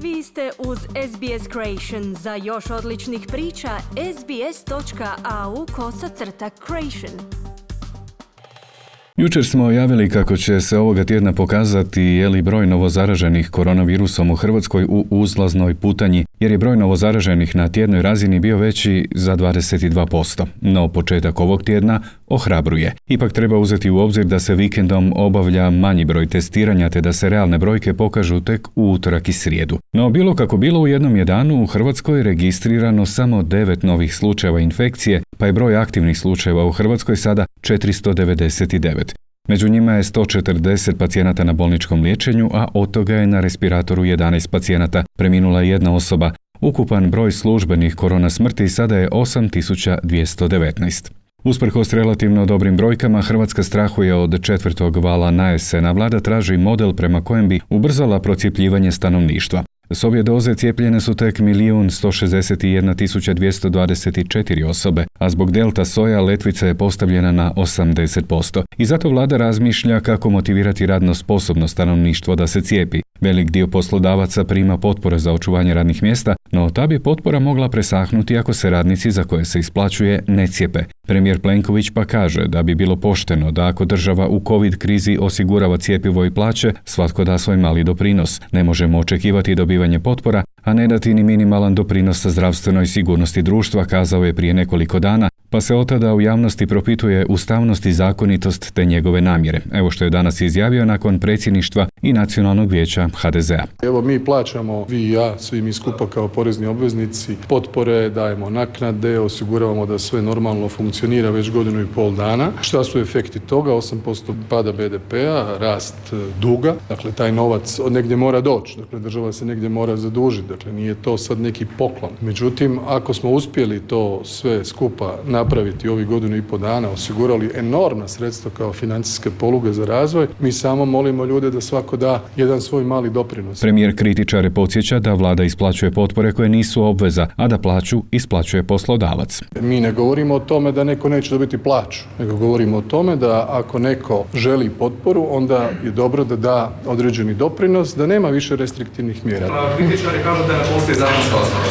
Vi ste uz SBS Creation. Za još odličnih priča, sbs.au/creation. Jučer smo javili kako će se ovoga tjedna pokazati je li broj novozaraženih koronavirusom u Hrvatskoj u uzlaznoj putanji, jer je broj novozaraženih na tjednoj razini bio veći za 22%. No početak ovog tjedna ohrabruje. Ipak treba uzeti u obzir da se vikendom obavlja manji broj testiranja te da se realne brojke pokažu tek u utorak i srijedu. No bilo kako bilo, u jednom je danu u Hrvatskoj registrirano samo 9 novih slučajeva infekcije, pa je broj aktivnih slučajeva u Hrvatskoj sada 499. Među njima je 140 pacijenata na bolničkom liječenju, a od toga je na respiratoru 11 pacijenata, preminula jedna osoba. Ukupan broj službenih korona smrti sada je 8219. Usprkos relativno dobrim brojkama, Hrvatska strahuje od četvrtog vala na jesen, a vlada traži model prema kojem bi ubrzala procjepljivanje stanovništva. S obje doze cijepljene su tek 1.161.224 osobe, a zbog delta soja letvica je postavljena na 80%. I zato vlada razmišlja kako motivirati radno sposobno stanovništvo da se cijepi. Velik dio poslodavaca prima potpore za očuvanje radnih mjesta, no ta bi potpora mogla presahnuti ako se radnici za koje se isplaćuje ne cijepe. Premijer Plenković pa kaže da bi bilo pošteno da ako država u COVID krizi osigurava cjepivo i plaće, svatko da svoj mali doprinos. Ne možemo očekivati dobivanje potpora, a ne dati ni minimalan doprinos zdravstvenoj sigurnosti društva, kazao je prije nekoliko dana, pa se otada u javnosti propituje ustavnost i zakonitost te njegove namjere. Evo što je danas izjavio nakon predsjedništva i Nacionalnog vijeća HDZ-a. Evo mi plaćamo, vi i ja, svi mi skupa kao porezni obveznici, potpore, dajemo naknade, osiguravamo da sve normalno funkcionira već 1,5 dana. Šta su efekti toga? 8% pada BDP-a, rast duga, dakle taj novac od negdje mora doći, dakle država se negdje mora zadužiti, dakle nije to sad neki poklon. Međutim, ako smo uspjeli to sve skupa napraviti ovih 1,5 dana, osigurali enormna sredstva kao financijske poluge za razvoj, mi samo molimo ljude da svako da jedan svoj mali doprinos. Premijer kritičare podsjeća da vlada isplaćuje potpore koje nisu obveza, a da plaću isplaćuje poslodavac. Mi ne govorimo o tome da neko neće dobiti plaću, nego govorimo o tome da ako neko želi potporu, onda je dobro da da određeni doprinos, da nema više restriktivnih mjera. Kritičari kažu da ne postoji zakonska osnova.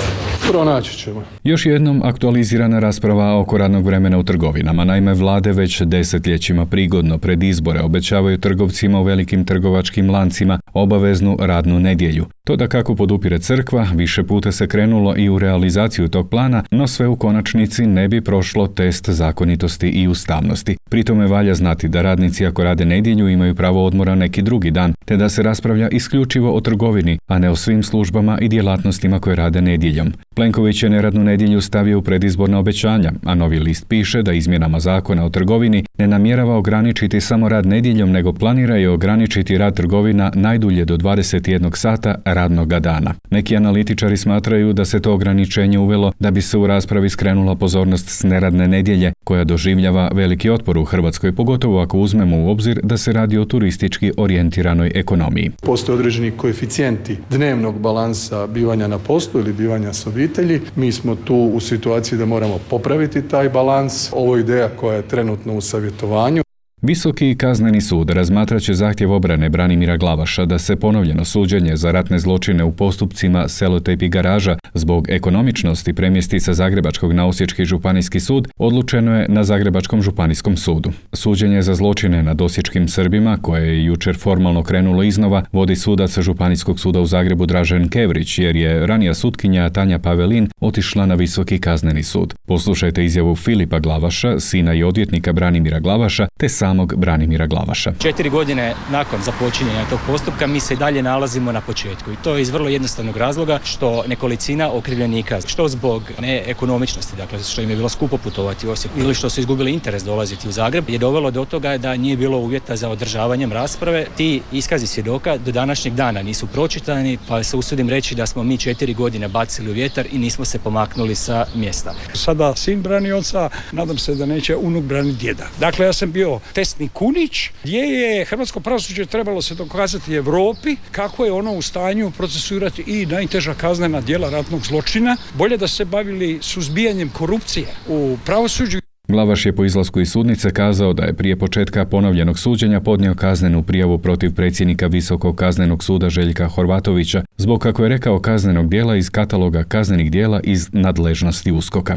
Pronaći ćemo. Još jednom aktualizirana rasprava oko radnog vremena u trgovinama. Naime, vlade već desetljećima prigodno pred izbore obećavaju trgovcima u velikim trgovačkim lancima obaveznu radnu nedjelju. To da kako podupire crkva, više puta se krenulo i u realizaciju tog plana, no sve u konačnici ne bi prošlo test zakonitosti i ustavnosti. Pri tome valja znati da radnici ako rade nedjelju imaju pravo odmora neki drugi dan, te da se raspravlja isključivo o trgovini, a ne o svim službama i djelatnostima koje rade nedjeljom. Plenković je neradnu nedjelju stavio u predizborna obećanja, a Novi list piše da izmjenama zakona o trgovini ne namjerava ograničiti samo rad nedjeljom, nego planira i ograničiti rad trgovina najdulje do 21 sata radnoga dana. Neki analitičari smatraju da se to ograničenje uvelo da bi se u raspravi skrenula pozornost s neradne nedjelje, koja doživljava veliki otpor u Hrvatskoj, pogotovo ako uzmemo u obzir da se radi o turistički orijentiranoj ekonomiji. Postoje određeni koeficijenti dnevnog balansa bivanja na poslu ili bivanja s obitelji. Mi smo tu u situaciji da moramo popraviti taj balans. Ovo je ideja koja je trenutno u savjetovanju. Visoki kazneni sud razmatrat će zahtjev obrane Branimira Glavaša da se ponovljeno suđenje za ratne zločine u postupcima Selotejp i Garaža zbog ekonomičnosti premjesti sa Zagrebačkog na Osječki županijski sud odlučeno je na Zagrebačkom županijskom sudu. Suđenje za zločine nad osječkim Srbima, koje je jučer formalno krenulo iznova, vodi sudac Županijskog suda u Zagrebu Dražen Kevrić, jer je ranija sutkinja Tanja Pavelin otišla na Visoki kazneni sud. Poslušajte izjavu Filipa Glavaša, sina i odvjetnika Branimira Glavaša, te samog Branimira Glavaša. 4 godine nakon započinjanja tog postupka mi se i dalje nalazimo na početku. I to je iz vrlo jednostavnog razloga što nekolicina okrivljenika, što zbog neekonomičnosti, dakle što im je bilo skupo putovati u Osijek ili što su izgubili interes dolaziti u Zagreb, je dovelo do toga da nije bilo uvjeta za održavanjem rasprave. Ti iskazi svjedoka do današnjeg dana nisu pročitani, pa se usudim reći da smo mi 4 godine bacili u vjetar i nismo se pomaknuli sa mjesta. Sada sin brani oca, nadam se da neće unuk braniti djeda. Dakle, ja sam bio testni kunić, gdje je hrvatsko pravosuđe trebalo se dokazati Europi kako je ono u stanju procesuirati i najteža kaznena djela ratnog zločina. Bolje da se bavili suzbijanjem korupcije u pravosuđu. Glavaš je po izlasku iz sudnice kazao da je prije početka ponovljenog suđenja podnio kaznenu prijavu protiv predsjednika Visokog kaznenog suda Željka Horvatovića zbog, kako je rekao, kaznenog djela iz kataloga kaznenih djela iz nadležnosti USKOK-a.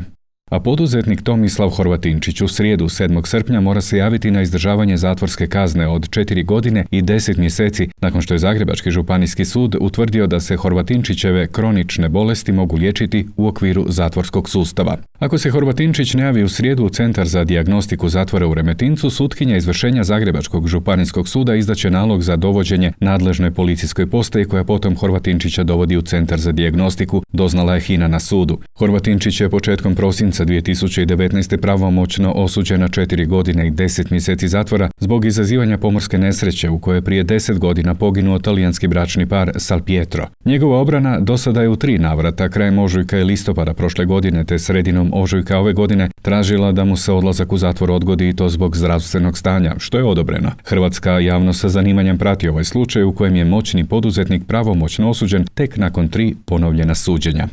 A poduzetnik Tomislav Horvatinčić u srijedu 7. srpnja mora se javiti na izdržavanje zatvorske kazne od 4 godine i 10 mjeseci nakon što je Zagrebački županijski sud utvrdio da se Horvatinčićeve kronične bolesti mogu liječiti u okviru zatvorskog sustava. Ako se Horvatinčić ne javi u srijedu u Centar za dijagnostiku zatvora u Remetincu, sutkinja izvršenja Zagrebačkog županijskog suda izdaće nalog za dovođenje nadležnoj policijskoj postaji koja potom Horvatinčića dovodi u Centar za dijagnostiku, doznala je HINA na sudu. Horvatinčić je početkom prosinca 2019. pravomoćno osuđen na 4 godine i 10 mjeseci zatvora zbog izazivanja pomorske nesreće u kojoj je prije 10 godina poginuo talijanski bračni par Salpietro. Njegova obrana dosada je u 3 navrata krajem ožujka i listopada prošle godine te sredinom ožujka ove godine tražila da mu se odlazak u zatvor odgodi i to zbog zdravstvenog stanja, što je odobreno. Hrvatska javnost sa zanimanjem prati ovaj slučaj u kojem je moćni poduzetnik pravomoćno osuđen tek nakon 3 ponovljena suđenja.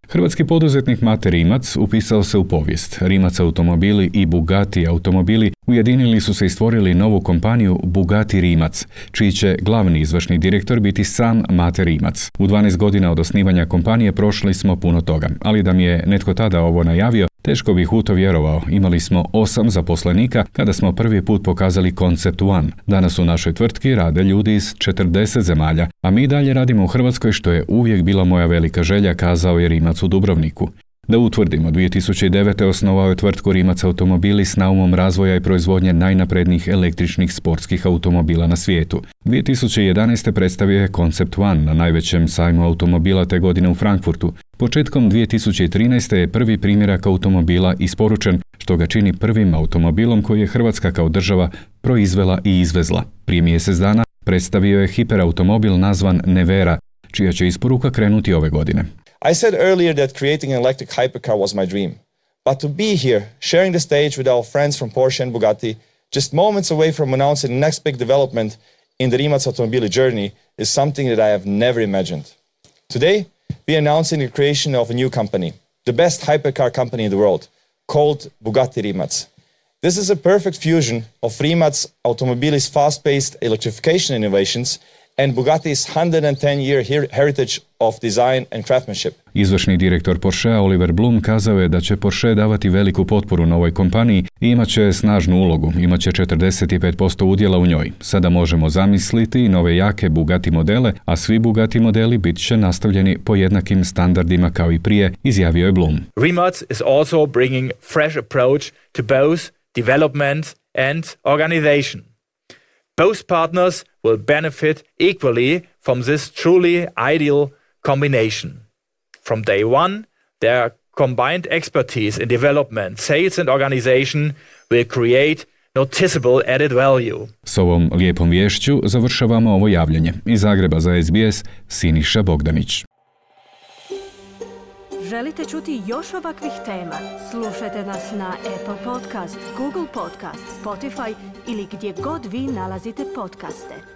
Hrvatski poduzetnik Mate Rimac upisao se u povijest. Rimac automobili i Bugatti automobili ujedinili su se i stvorili novu kompaniju Bugatti Rimac, čiji će glavni izvršni direktor biti sam Mate Rimac. U 12 godina od osnivanja kompanije prošli smo puno toga, ali da mi je netko tada ovo najavio, teško bih u to vjerovao. Imali smo 8 zaposlenika kada smo prvi put pokazali Concept One. Danas u našoj tvrtki rade ljudi iz 40 zemalja, a mi dalje radimo u Hrvatskoj, što je uvijek bila moja velika želja, kazao je Rimac u Dubrovniku. Da utvrdimo, 2009. osnovao je tvrtku Rimac automobili s naumom razvoja i proizvodnje najnaprednijih električnih sportskih automobila na svijetu. 2011. predstavio je Concept One na najvećem sajmu automobila te godine u Frankfurtu. Početkom 2013. je prvi primjerak automobila isporučen, što ga čini prvim automobilom koji je Hrvatska kao država proizvela i izvezla. Prije mjesec dana predstavio je hiperautomobil nazvan Nevera, čija će isporuka krenuti ove godine. I said earlier that creating an electric hypercar was my dream. But to be here, sharing the stage with our friends from Porsche and Bugatti, just moments away from announcing the next big development in the Rimac Automobili journey is something that I have never imagined. Today, we are announcing the creation of a new company, the best hypercar company in the world, called Bugatti Rimac. This is a perfect fusion of Rimac Automobili's fast-paced electrification innovations and Bugatti's 110-year heritage of design and craftsmanship. Izvršni direktor Porschea Oliver Blum kazao je da će Porsche davati veliku potporu novoj kompaniji i imat će snažnu ulogu, imat će 45% udjela u njoj. Sada možemo zamisliti nove jake Bugatti modele, a svi Bugatti modeli bit će nastavljeni po jednakim standardima kao i prije, izjavio je Blum. Rimac is also bringing fresh approach to both development and organization. Both partners will benefit equally from this truly ideal combination. From day one, their combined expertise in development, sales and organization will create noticeable added value. S ovom lijepom vješću završavamo ovo javljanje. Iz Zagreba za SBS, Siniša Bogdanić. Želite čuti još ovakvih tema? Slušajte nas na Apple Podcast, Google Podcast, Spotify ili gdje god vi nalazite podcaste.